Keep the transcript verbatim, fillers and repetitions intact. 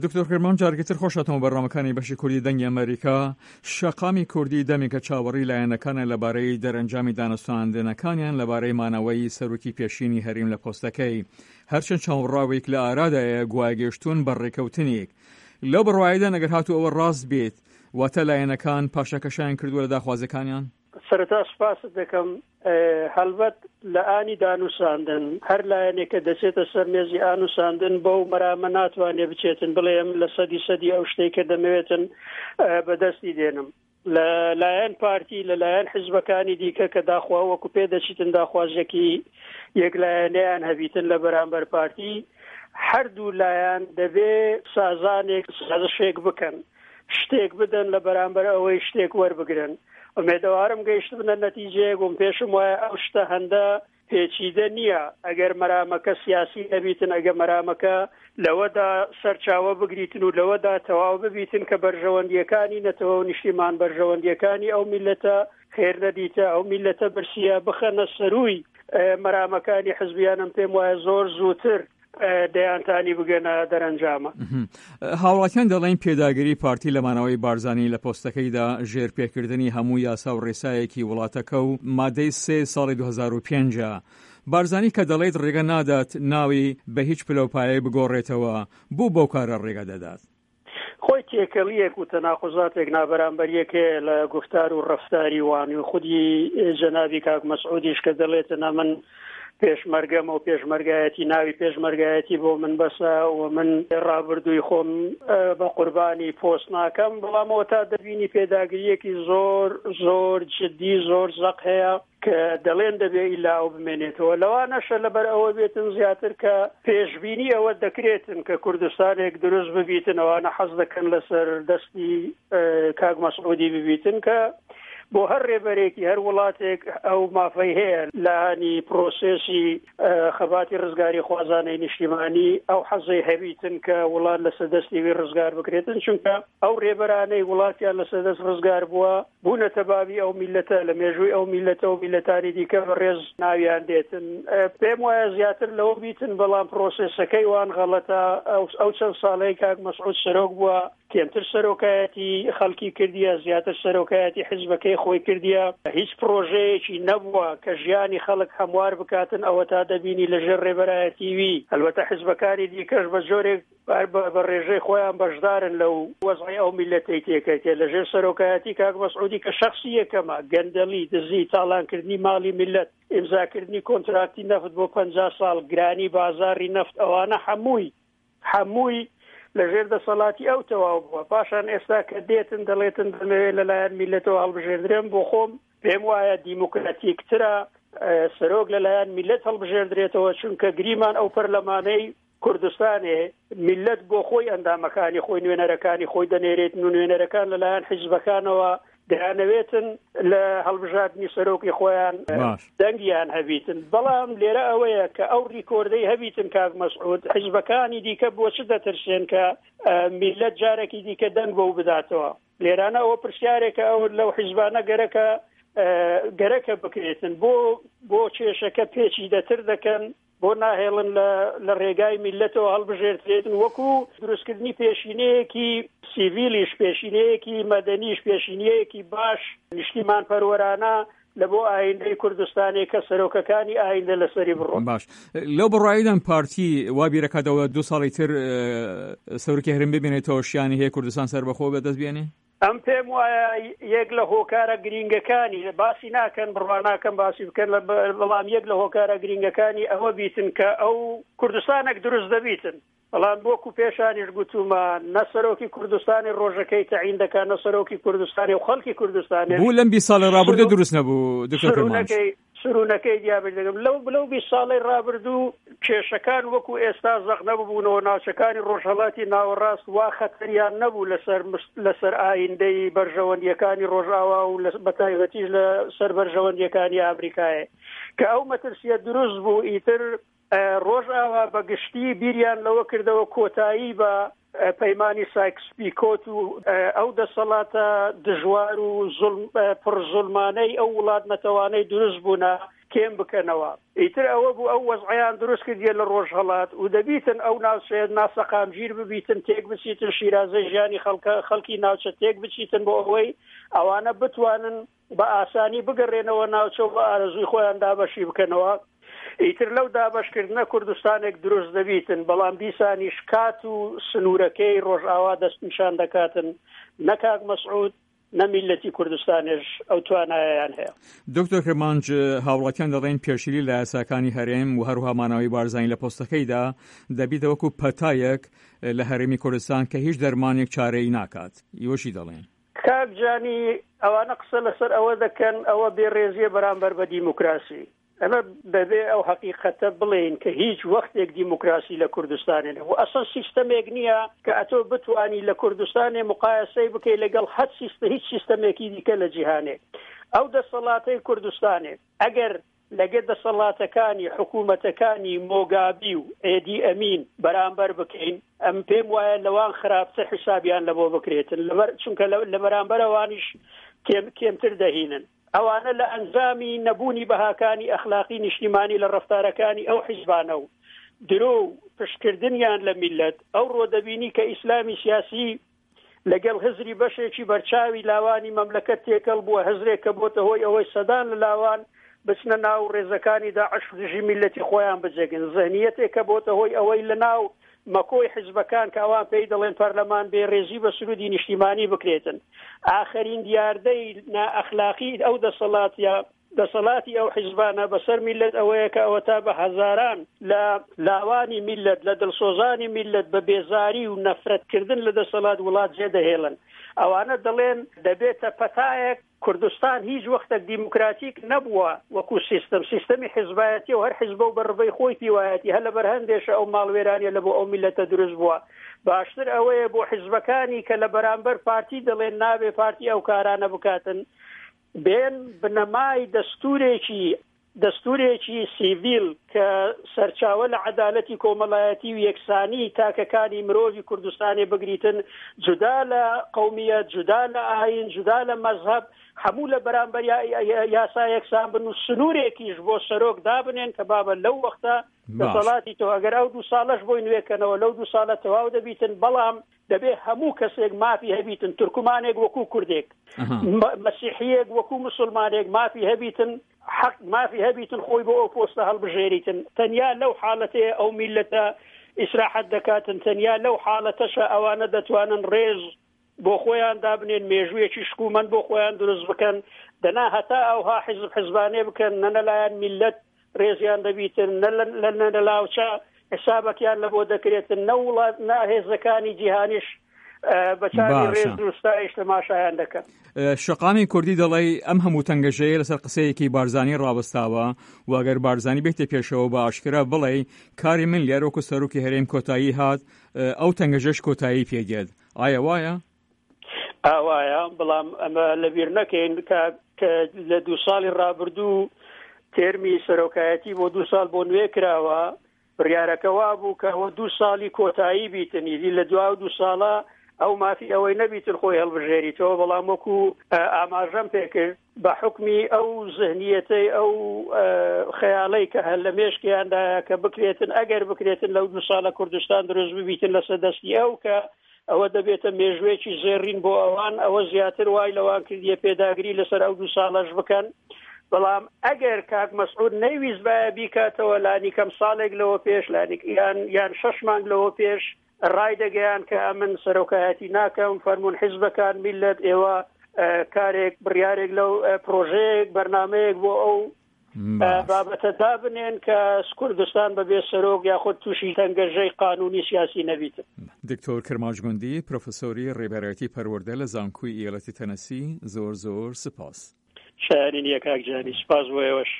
دکتۆر کرمان، جارێکی تر خۆشهاتەوە بەرنامەکانی بەشی کوردی دەنگی ئەمریکا. شەقامی کوردی دەمێکە چاوەڕی لایەنەکانە لەبارەی دەرەنجامی دانوستاندنەکانیان لەبارەی مانەوەی سەرۆکی پێشینی هەریم لە پۆستەکەی. هەرچەند چاوەڕاوێک لە ئارادایە گوایە گەیشتوون بە ڕێکەوتنێک. لەو بڕوایەدان ئەگەر هاتوو ئەوە ڕاست بێت، واتە لایەنەکان پاشەکەشیان کردووە لە داخوازیەکانیان؟ سەرەتا سوپاست دەکەم. هەڵبەت لە ئانی دانوساندن هەر لایەنێکە دەچێتە سەر مێزی ئانوساندن بەو مەرامە ناتوانێت بچێتن بڵێ من لە سەدی سەدی ئەو شتێک کە دەمەوێتن بەدەستی دێنم. لە لایەن پارتی، لە لایەن حیزبەکانی دیکە کە داخوا وەکو پێ دەچیتن داخوازێکی یەکلایەنەیان هەبیتن لە بەرامبەر پارتی، هەردوو لایەن دەبێ سازانێک سازشێک بکەن، شتێک بدەن لە بەرامبەر ئەوەی شتێک وەربگرن. ئومێدەوارم گەیشت بنە نەتیجەیەک و پێشم وایە ئەو شتە هەندە پێچیدە نییە ئەگەر مەرامەکە سیاسی نەبیتن، ئەگەر مەرامەکە لەوەدا سەرچاوە بگریتن و لەوەدا تەواو ببیتن کە بەرژەوەندیەکانی نەتەوە و نیشتیمان، بەرژەوەندیەکانی ئەو میلەتە خێر نەدیتە، ئەو میلەتە برسیە بخەنە سەروی مەرامەکانی حزبیانم، پێم وایە زۆر زووتر دەیانتانی بگەنە دەرەنجامە. هاوڵاتیان دەڵێن پێداگری پارتی لەمانەوەی بارزانی لە پۆستەکەیدا ژێرپێکردنی هەموو یاسا و ڕێسایەکی وڵاتەکە و مادەی سێ ساڵی دوو هەزار و پێنج. بارزانی کە دەڵێت ڕێگە نادات ناوی بە هیچ پلەوپایەک بگۆڕێتەوە، بۆ بەو کارە ڕێگە دەدات؟ خۆی تێکەڵیەک و تەناقوزاتێک نابەرامبەریەک هەیە لە گفتار و ڕەفتاری وان و خودی جەنابی کاک مەسعودیش کە دەڵێتە من پێشمەرگەمە و پێشمەرگایەتی ناوی پێشمەرگایەتی بۆ من بەسە و من ڕابردووی خۆم بە قوربانی پۆست ناکەم، بەڵامەوە تا دەبینی پێداگریەکی زۆر زۆر جدی زۆر زەق هەیە کە دەڵێن دەبێ ئیلا ئەو بمێنێتەوە. لەوانەشە لەبەر ئەوە بێتن زیاتر کە پێشبینی ئەوە دەکرێتن کە کوردستانێک دروست ببیتن، ئەوانە حەز دەکەن لەسەر دەستی کاک مەسعودی ببیتن کە بۆ هەر ڕێبەرێکی هەر وڵاتێک ئەو مافەی هەیە لانی پرۆسێسی خەباتی ڕزگاری خوازانەی نیشتیمانی ئەو حەزەی هەبیتن کە وڵات لەسەر دەستی وی ڕزگار بکرێتن، چونکە ئەو ڕێبەرانەی وڵاتیان لەسەر دەست ڕزگار بووە بوونەتە بابی ئەو میلەتە، لە مێژووی ئەو میلەتە و میلەتانی دیکە بە ڕێز ناویان دێتن. پێم وایە زیاتر لەوە بیتن، بەڵام پرۆسێسەکەی وان غەڵەتە. ئەو چەند ساڵەی کاک مەسعود سەرۆک بووە کێمتر سەرۆکایەتی خەڵکی کردیە، زیاتر سەرۆکایەتی حیزبەکەی خۆی کردیە، هیچ پرۆژەیەکی نەبووە کە ژیانی خەڵک هەموار بکاتن. ئەوە تا دەبینی لەژێر ڕێبەرایەتی وی، ئەلبەتە حیزبەکانی دیکەش بە جۆرێک بە ڕێژەی خۆیان بەشدارن لەو وەزعی ئەو میلەتەی تێکەتێ لەژێر سەرۆکایەتی کاک مەسعودی کە شخصی یەکەمە، گەندەڵی، دزی، تاڵانکردنی ماڵی میلەت، ئیمزاکردنی کۆنتراکتی نەفت بۆ پەنجا ساڵ، گرانی بازاری نەفت، ئەوانە هەمووی هەمووی لەژێر دەسەڵاتی ئەو تەواو بووە. پاشان ئێستا کە دێتن دەڵێتن دەمەوێت لەلایەن میلەتەوە هەڵبژێردرێم، بۆ خۆم پێم وایە دیموکراتیکترە سەرۆک لەلایەن میلەت هەڵبژێردرێتەوە، چونکە گریمان ئەو پەرلەمانەی کوردستانێ میلەت بۆ خۆی ئەندامەکانی خۆی نوێنەرەکانی خۆی دەنێرێت و نوێنەرەکان لەلایەن حیزبەکانەوە دەیانەوێتن لە هەڵبژاردنی سەرۆکی خۆیان دەنگیان هەبیتن. بەڵام لێرە ئەوەیە کە ئەو ریکۆردەی هەبیتن کاک مەسعود، حیزبەکانی دیکە بۆ چ دەترسێن کە میلەت جارێکی دیکە دەنگ بەو بداتەوە؟ لێرانە ئەوە پرسیارێکە ئەو لەو حیزبانە گەرەکە گەرەکە بکرێتن، بۆ بۆ کێشەکە پێچی دەتر دەکەن، بۆ ناهێڵن لە ڕێگای میلەتەوە هەڵبژێردرێتن، وەکو دروستکردنی پێشینەیەکی سیڤیلیش، پێشینەیەکی مەدەنیش، پێشینەیەکی باش نیشتیمان پەروەرانە لە بۆ ئایندەی کوردستانی کە سەرۆکەکانی ئایندە لەسەری بڕۆن. باش، لەو بڕواییدان پارتی وا بیرەکاتەوە دوو ساڵی تر سەرۆکی هەرێم ببینێتەوە شیانی هەیە کوردستان سەربەخۆ بەدەست بێنێ؟ ئەم پێم وایە یەک لە هۆکارە گرینگەکانی باسی ناکەن، بڕوا ناکەم باسی بکەن، بەڵام یەک لە هۆکارە گرینگەکانی ئەوە بیتن کە ئەو کوردستانێک دروست دەبیتن. بەڵام وەکو پێشانیش گوتومە نە سەرۆکی کوردستانی ڕۆژەکەی تەعین دەکات، نە سەرۆکی کوردستانی و خەڵکی کوردستانی بوو لەم بیست ساڵی ڕابردوو دروست نەبوو دکتۆر کرمانج. سرونەکەی دیابێت دەگەم لەو لەو بیست ساڵەی ڕابردوو کێشەکان وەکو ئێستا زەق نەبوونەوە، ناوچەکانی ڕۆژهەڵاتی ناوەڕاست وا خەتەریان نەبوو لەسەر لەسەر ئایندەی بەرژەوەندیەکانی ڕۆژئاوا و بەتایبەتیش لەسەر بەرژەوەندیەکانی ئامریکایە کە ئەو مەترسیە دروست بوو. ئیتر ڕۆژئاوا بەگشتی بیریان لەوە کردەوە کۆتایی بە پەیمانی سایکس پیکۆت و ئەو دەسەڵاتە دژوار و پڕ زوڵمانەی ئەو وڵات نەتەوانەی دروست بوونە کێم بکەنەوە. ئیتر ئەوە بوو ئەو وەزعیان دروست کردیە لە ڕۆژهەڵات و دەبیتن ئەو ناوچەیە ناسەقامگیر ببیتن، تێک بچیتن، شیرازەی ژیانی خەڵکە خەڵکی ناوچە تێک بچیتن بۆ ئەوەی ئەوانە بتوانن بە ئاسانی بگەڕێنەوە ناوچە و بە ئارەزووی خۆیان دابەشی بکەنەوە. ئیتر لەو دابەشکردنە کوردستانێک دروست دەبیتن، بەڵام دیسانیش کات و سنوورەکەی ڕۆژئاوا دەستنیشان دەکاتن، نە کاک مەسعود نە میللەتی کوردستانێش ئەو توانایەیان هەیە. دکتۆر کرمانج، هاوڵاتیان دەڵێن پێشیلی لە یاساکانی هەرێم و هەروها مانەوەی بارزانی لە پۆستەکەیدا دەبیتە وەکو پەتایەک لە هەرێمی کوردستان کە هیچ دەرمانێک چارەی ناکات. ئیوە چی دەڵێن؟ کاک جانی، ئەوانە قسە لەسەر ئەوە دەکەن ئەوە بێڕێزیە بەرامبەر بە دیموکراسی. ئەمە دەبێ ئەو حەقیقەتە بڵێین کە هیچ وەختێک دیموکراسی لە کوردستانێ نەبوو. ئەسڵ سیستەمێک نییە کە ئەتۆ بتوانی لە کوردستانێ مقایەسەی بکەی لەگەڵ هەر سیستە هیچ سیستەمێکی دیکە لە جیهانێ. ئەو دەسەڵاتەی کوردستانێ ئەگەر لەگە دەسەڵاتەکانی حکوومەتەکانی مۆگابی و ئێدی ئەمین بەرامبەر بکەین، ئەم پێم وایە لەوان خراپتر حیسابیان لەبۆ بکرێتن، لەبەر چونکە لە بەرامبەرەوانیش کێم کێمتر دەهینن. ئەوانە لە ئەنجامی نەبوونی بەهاکانی ئەخلاقی نیشتیمانی لە ڕەفتارەکانی ئەو حیزبانە و درۆ و پشتکردنیان لە میللەت، ئەوڕۆ دەبینی کە ئیسلامی سیاسی لەگەڵ هزری بەشێکی بەرچاوی لاوانی مەملەکەت تێکەڵ بووە، هزرێک کە بۆتە هۆی ئەوەی سەدان لە لاوان بچنە ناو ڕێزەکانی داعش و دژی میللەتی خۆیان بجەگن، زهنیەتێک کە بۆتە هۆی ئەوەی لە ناو مەکۆی حیزبەکان کە ئەوان پێی دەڵێن پەرلەمان بێ ڕێزی بە سرودی نیشتیمانی بکرێتن. ئاخرین دیاردەی نائەخلاقی ئەو دەسەڵاتیە دەسەڵاتی ئەو حیزبانە بەسەر میللەت ئەوەیە کە ئەوەتا بە هەزاران لە لاوانی میللەت، لە دڵسۆزانی میللەت بە بێزاری و نەفرەتکردن لە دەسەڵات وڵات جێدەهێڵن. ئەوانە دەڵێن دەبێتە پەتایەک. کوردستان هیچ وەختێک دیموکراتیک نەبووە وەکو سیستم، سیستەمی حیزبایەتیە و هەر حیزبە و بە ڕبەی خۆی پیوایەتی، هەر لەبەر هەندێشە ئەو ماڵوێرانیە لە بۆ ئەو میللەتە دروست بووە. باشتر ئەوەیە بۆ حیزبەکانی کە لە بەرامبەر پارتی دەڵێن نابێ پارتی ئەو کارانە بکاتن، بێن بنەمای دەستورێکی دەستورێکی سیڤیل کە سەرچاوە لە عەدالەتی کۆمەڵایەتی و یەکسانی تاکەکانی مرۆڤی کوردستانی بگریتن، جودا لە قەومیەت، جودا لە ئاین، جودا لە مەزهەب، هەموو لە بەرامبەر یاسا یەکسان بن و سنوورێکیش بۆ سەرۆک دابنێن کە بابە لەو وەختە دەسەڵاتی تۆ ئەگەر ئەو دوو ساڵەش بۆی نوێکەنەوە لەو دوو ساڵە تەواو دەبیتن، بەڵام دەبێ هەموو کەسێک مافی هەبیتن، تورکمانێک وەکو کوردێک، مەسیحیەک وەکو مسلمانێک مافی هەبیتن، حەق مافی هەبیتن خۆی بۆ ئەو پۆستە هەڵبژێریتن. تەنیا لەو حاڵەتەیە ئەو میللەتە ئیسراحەت دەکاتن، تەنیا لەو حاڵەتەشە ئەوانە دەتوانن ڕێز بۆ خۆیان دابنێن، مێژوویەکی شکومەند بۆ خۆیان دروست بکەن. دەنا هەتا ئەوها حیزب حیزبانێ بکەن، نە لەلایەن میللەت ڕێزیان دەبیتن، نە لە لاوچە حسابەکیان لە بۆ دەکرێتن، نە وڵات نە هێزەکانی جیهانیش بە چاوی ڕێز و ستایش تەماشایان دەکەن. شەقامی کوردی دەڵێی ئەم هەموو تەنگەژەیە لەسەر قسەیەکی بارزانی ڕاوەستاوە و ئەگەر بارزانی بێتە پێشەوە بە ئاشکرا بڵێ کاری من لێرە وەکو سەرۆکی هەرێم کۆتایی هات، ئەو تەنگەژەش کۆتایی پێدێت. ئایا وایە؟ ئاوایە، بەڵام ئەمە لەبیر نەکەین کە لە دوو ساڵی ڕابردوو تێرمی سەرۆکایەتی بۆ دوو ساڵ بۆ نوێ کراوە، بڕیارەکە وا بوو کە ئەوە دوو ساڵی کۆتایی بیتن، ئیدی لە دوا دوو ساڵە ئەو مافی ئەوەی نەبیتن خۆی هەڵبژێریتەوە. بەڵام وەکو ئاماژەم پێکرد بە حکمی ئەو زهنیەتەی ئەو خەیاڵەی کە هەر لە مێشکیاندایە کە بکرێتن، ئەگەر بکرێتن لەو دوو ساڵە کوردستان دروست ببیتن لەسەر دەستی ئەو، کە ئەوە دەبێتە مێژوێکی زێڕین بۆ ئەوان، ئەوە زیاتر وای لەوان کردیە پێداگری لەسەر ئەو دوو ساڵەش بکەن. بەڵام ئەگەر کاک مەسعود نەیویست باە بیکاتەوە لانیکەم ساڵێک لەوە پێش، لانیک یان یان شەش مانگ لەوە پێش ڕای دەگەیان کە ئەمن سەرۆکایەتی ناکەم، فەرمونون حیزبەکان میللەت ئێوە کارێک بڕیارێک لەو پرۆژەیەک بەرنمەیەک بۆ ئەو بابەتە دابنێن کە کوردستان بەبێ سەرۆک یاخود تووشی تەنگەژەی قانونی سیاسی نەبیت. دکتۆر کرمانج گوندی، پرۆفسۆری ڕێبەرایەتی پەروەردە لە زانکۆی ئیالەتی تەنەسی، زۆر زۆر سپاس. شایانی نییە کاک جانی، سپاس بۆ ئێوەش.